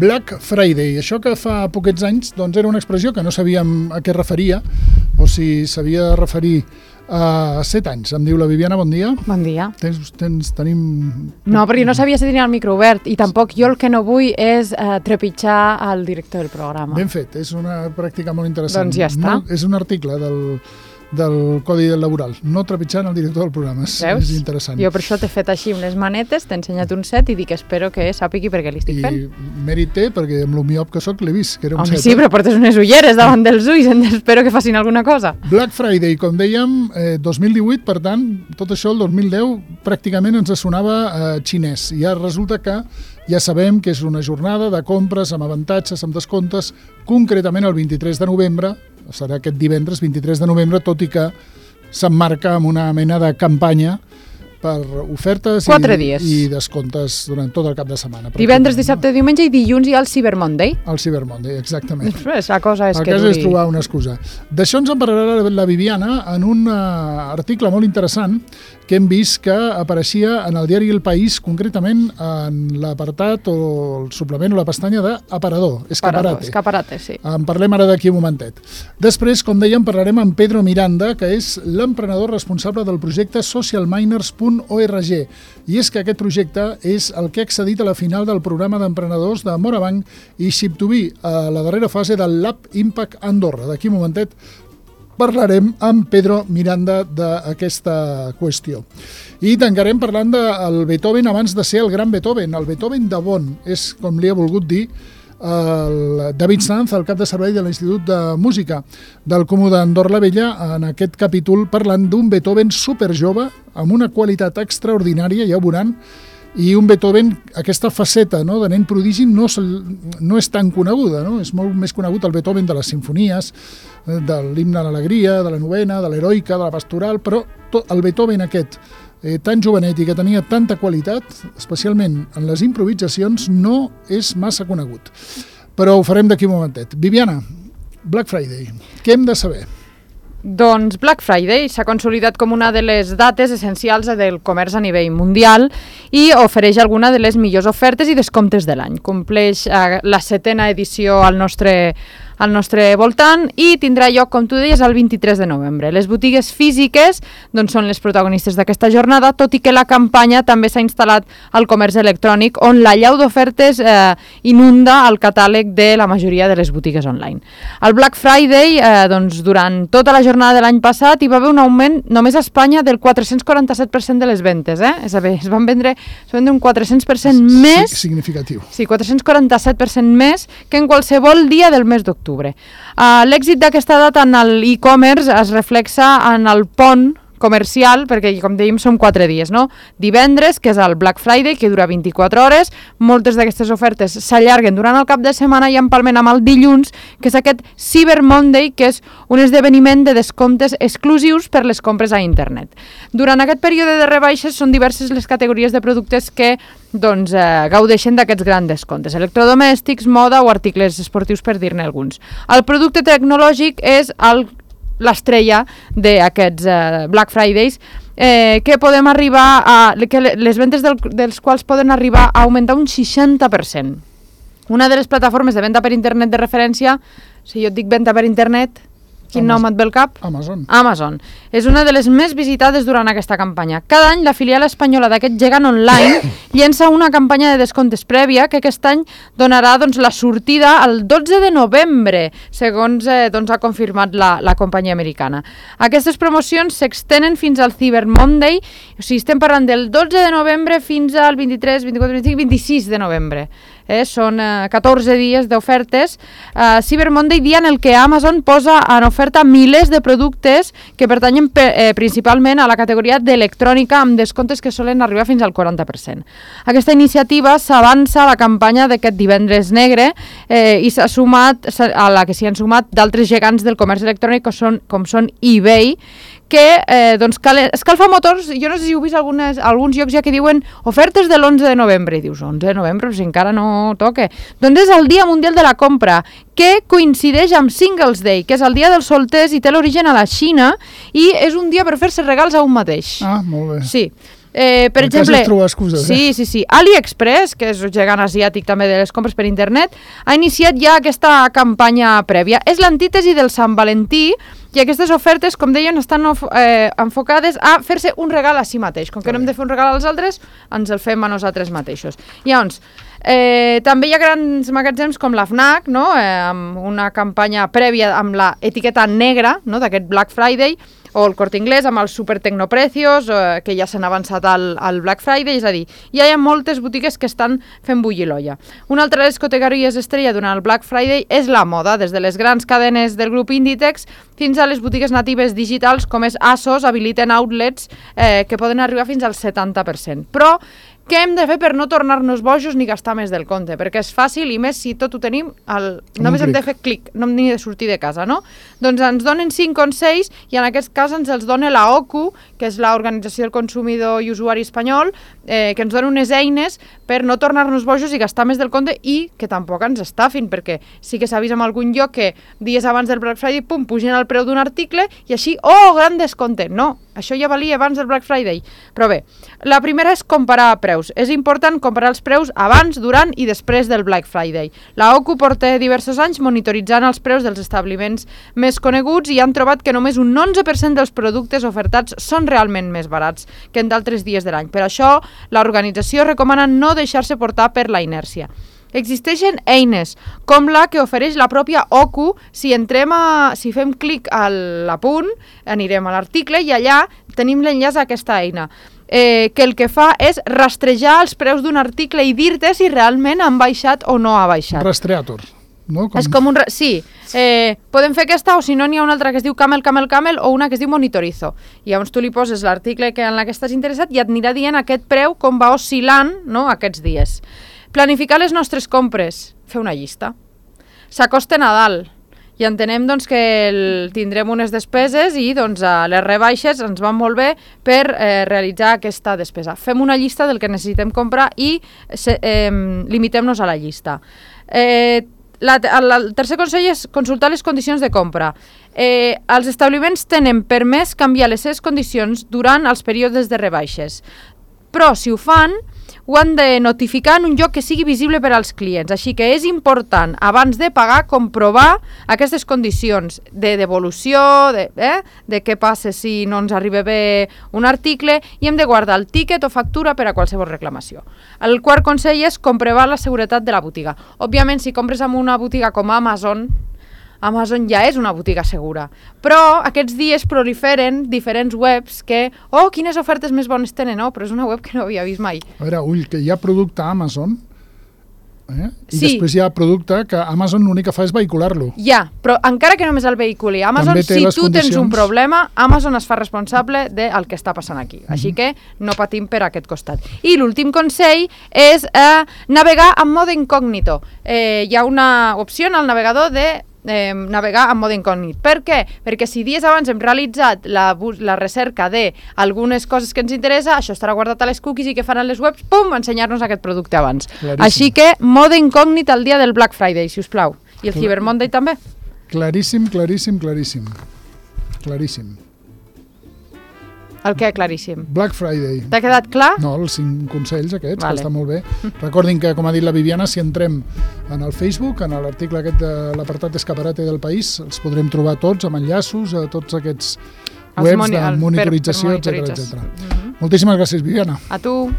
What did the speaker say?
Black Friday. Això que fa poquets anys doncs era una expressió que no sabíem a què referia, o si s'havia de referir a 7 anys. Em diu la Viviana, bon dia. Bon dia. Tenim... No, perquè no sabia si tenia el micro obert i tampoc jo el que no vull és trepitjar el director del programa. Ben fet, és una pràctica molt interessant. Doncs ja està. No, és un article del Codi Laboral, no trepitjant el director del programa. És interessant. Jo per això t'he fet així unes manetes, t'he ensenyat un set i dic espero que sàpigui per què li estic fent. I mèrit té, perquè amb lo miop que soc l'he vist, que era un set. Sí, però portes unes ulleres davant dels ulls, espero que facin alguna cosa. Black Friday, com dèiem, 2018, per tant, tot això el 2010 pràcticament ens sonava xinès. I ara resulta que ja sabem que és una jornada de compres amb avantatges, amb descomptes, concretament el 23 de novembre, serà aquest divendres 23 de novembre, tot i que s'emmarca amb una mena de campanya per ofertes i descomptes durant tot el cap de setmana. Divendres, dissabte, diumenge i dilluns hi ha el Cyber Monday. El Cyber Monday, exactament. La cosa és que duri. El cas és trobar una excusa. D'això ens en parlarà la Viviana en un article molt interessant que hem vist que apareixia en el diari El País, concretament en l'apartat o el suplement o la pestanya d'Aparador, Escaparate, sí. En parlem ara d'aquí un momentet. Després, com dèiem, parlarem amb Pedro Miranda, que és l'emprenedor responsable del projecte socialminers.org. I és que aquest projecte és el que ha accedit a la final del programa d'emprenedors de Morabanc i Ship2B, a la darrera fase del Lab Impact Andorra. D'aquí un momentet parlarem amb Pedro Miranda d'aquesta qüestió. I tancarem parlant del Beethoven abans de ser el gran Beethoven. El Beethoven de Bonn és, com li ha volgut dir, el David Sanz, el cap de servei de l'Institut de Música del Comú d'Andorra la Vella, en aquest capítol parlant d'un Beethoven superjove amb una qualitat extraordinària, ja ho veuran, i un Beethoven, aquesta faceta de nen prodigi no és tan coneguda, no? És molt més conegut el Beethoven de les simfonies, de l'himne a l'alegria, de la novena, de l'heroica, de la pastoral, però el Beethoven aquest, tan jovenet i que tenia tanta qualitat, especialment en les improvisacions, no és massa conegut. Però ho farem d'aquí un momentet. Viviana, Black Friday, què hem de saber? Doncs Black Friday s'ha consolidat com una de les dates essencials del comerç a nivell mundial i ofereix alguna de les millors ofertes i descomptes de l'any. Compleix la 7ª edició al nostre voltant i tindrà lloc, com tu deies, el 23 de novembre. Les botigues físiques són les protagonistes d'aquesta jornada, tot i que la campanya també s'ha instal·lat al comerç electrònic, on l'allau d'ofertes inunda el catàleg de la majoria de les botigues online. El Black Friday, durant tota la jornada de l'any passat, hi va haver un augment només a Espanya del 447% de les ventes. És a dir, es van vendre un 400% més... Significatiu. Sí, 447% més que en qualsevol dia del mes d'octubre. L'èxit d'aquesta data en l'e-commerce es reflexa en el pont comercial, perquè com dèiem són 4 dies, no? Divendres, que és el Black Friday, que dura 24 hores, moltes d'aquestes ofertes s'allarguen durant el cap de setmana i empalmen amb el dilluns, que és aquest Cyber Monday, que és un esdeveniment de descomptes exclusius per les compres a internet. Durant aquest període de rebaixes són diverses les categories de productes que gaudeixen d'aquests grans descomptes. Electrodomèstics, moda o articles esportius, per dir-ne alguns. El producte tecnològic és l'estrella d'aquests Black Fridays, que podem arribar que les ventes dels quals poden arribar a augmentar un 60%. Una de les plataformes de venda per internet de referència, si jo et dic venda per internet, quin nom et ve al cap? Amazon. És una de les més visitades durant aquesta campanya. Cada any la filial espanyola d'aquest gegant online llença una campanya de descomptes prèvia que aquest any donarà la sortida el 12 de novembre, segons ha confirmat la companyia americana. Aquestes promocions s'extenen fins al Cyber Monday, o sigui, estem parlant del 12 de novembre fins al 23, 24, 25, 26 de novembre. Són 14 dies d'ofertes. Cyber Monday, dia en el que Amazon posa en oferta milers de productes que pertanyen principalment a la categoria d'electrònica amb descomptes que solen arribar fins al 40%. Aquesta iniciativa s'avança a la campanya d'aquest divendres negre i s'ha sumat a la que s'hi han sumat d'altres gegants del comerç electrònic com són eBay, que escalfa motors. Jo no sé si heu vist alguns llocs ja que diuen ofertes de l'11 de novembre, i dius 11 de novembre, però si encara no toca. Doncs és el Dia Mundial de la Compra, que coincideix amb Singles Day, que és el dia dels solters i té l'origen a la Xina, i és un dia per fer-se regals a un mateix. Molt bé. Sí. Per exemple, és trobar excuses, sí. AliExpress, que és un gegant asiàtic també de les compres per internet, ha iniciat ja aquesta campanya prèvia. És l'antítesi del Sant Valentí i aquestes ofertes, com deien, estan enfocades a fer-se un regal a si mateix. Com que no hem de fer un regal als altres, ens el fem a nosaltres mateixos. Llavors, també hi ha grans magatzems com la FNAC, no? Amb una campanya prèvia amb la etiqueta negra, no? D'aquest Black Friday, o el Corte Inglés amb els super tecnoprecios, que ja s'han avançat al Black Friday, és a dir, ja hi ha moltes botigues que estan fent bullir l'olla. Una altra de les categories estrella durant el Black Friday és la moda, des de les grans cadenes del grup Inditex fins a les botigues natives digitals com és ASOS, habiliten outlets que poden arribar fins al 70%. Però què hem de fer per no tornar-nos bojos ni gastar més del compte? Perquè és fàcil i més si tot ho tenim, només hem de fer clic, no hem ni de sortir de casa, no? Doncs ens donen 5 consells i en aquest cas ens els dona la OCU, que és l'Organització del Consumidor i Usuari Espanyol, que ens dona unes eines per no tornar-nos bojos i gastar més del compte i que tampoc ens estafin, perquè sí que s'ha vist en algun lloc que dies abans del Black Friday, pum, pugen el preu d'un article i així, gran descompte. No, això ja valia abans del Black Friday. Però bé, la primera és comparar preus. És important comparar els preus abans, durant i després del Black Friday. La OCU porta diversos anys monitoritzant els preus dels establiments més coneguts i han trobat que només un 11% dels productes ofertats són realment més barats que en d'altres dies de l'any. Per això, l'organització recomana no deixar-se portar per la inèrcia. Existeixen eines, com la que ofereix la pròpia OCU. Si fem clic a l'apunt, anirem a l'article i allà tenim l'enllaç a aquesta eina, que el que fa és rastrejar els preus d'un article i dir-te si realment han baixat o no ha baixat. Rastreator, no? És com un... Sí, podem fer aquesta o si no n'hi ha una altra que es diu Camel o una que es diu Monitorizo. I llavors tu li poses l'article en la que estàs interessat i et anirà dient aquest preu com va oscil·lant, no, aquests dies. Planificar les nostres compres, fer una llista. S'acosta Nadal i entenem doncs, que tindrem unes despeses i doncs, les rebaixes ens van molt bé per realitzar aquesta despesa. Fem una llista del que necessitem comprar i limitem-nos a la llista. El tercer consell és consultar les condicions de compra. Els establiments tenen permès canviar les seves condicions durant els períodes de rebaixes, però si ho fan ho han de notificar en un lloc que sigui visible per als clients. Així que és important, abans de pagar, comprovar aquestes condicions de devolució, de què passa si no ens arriba bé un article, i hem de guardar el tíquet o factura per a qualsevol reclamació. El quart consell és comprovar la seguretat de la botiga. Òbviament, si compres en una botiga com Amazon ja és una botiga segura. Però aquests dies proliferen diferents webs que, quines ofertes més bones tenen, però és una web que no havia vist mai. A veure, que hi ha producte a Amazon, i després hi ha producte que Amazon l'únic que fa és vehicular-lo. Ja, però encara que només el vehiculi Amazon, si tu tens un problema, Amazon es fa responsable del que està passant aquí. Així que no patim per aquest costat. I l'últim consell és navegar en mode incògnito. Hi ha una opció en el navegador de navegar en mode incògnit. Per què? Perquè si dies abans hem realitzat la recerca d'algunes coses que ens interessa, això estarà guardat a les cookies i què faran les webs? Pum! Ensenyar-nos aquest producte abans. Claríssim. Així que mode incògnit el dia del Black Friday, si us plau. I el Cyber Monday també. Claríssim. El què, claríssim? Black Friday. T'ha quedat clar? No, els 5 consells aquests, que estan molt bé. Recordin que, com ha dit la Viviana, si entrem en el Facebook, en l'article aquest de l'apartat d'Escaparate del País, els podrem trobar tots amb enllaços a tots aquests webs de monitorització, etc. Moltíssimes gràcies, Viviana. A tu.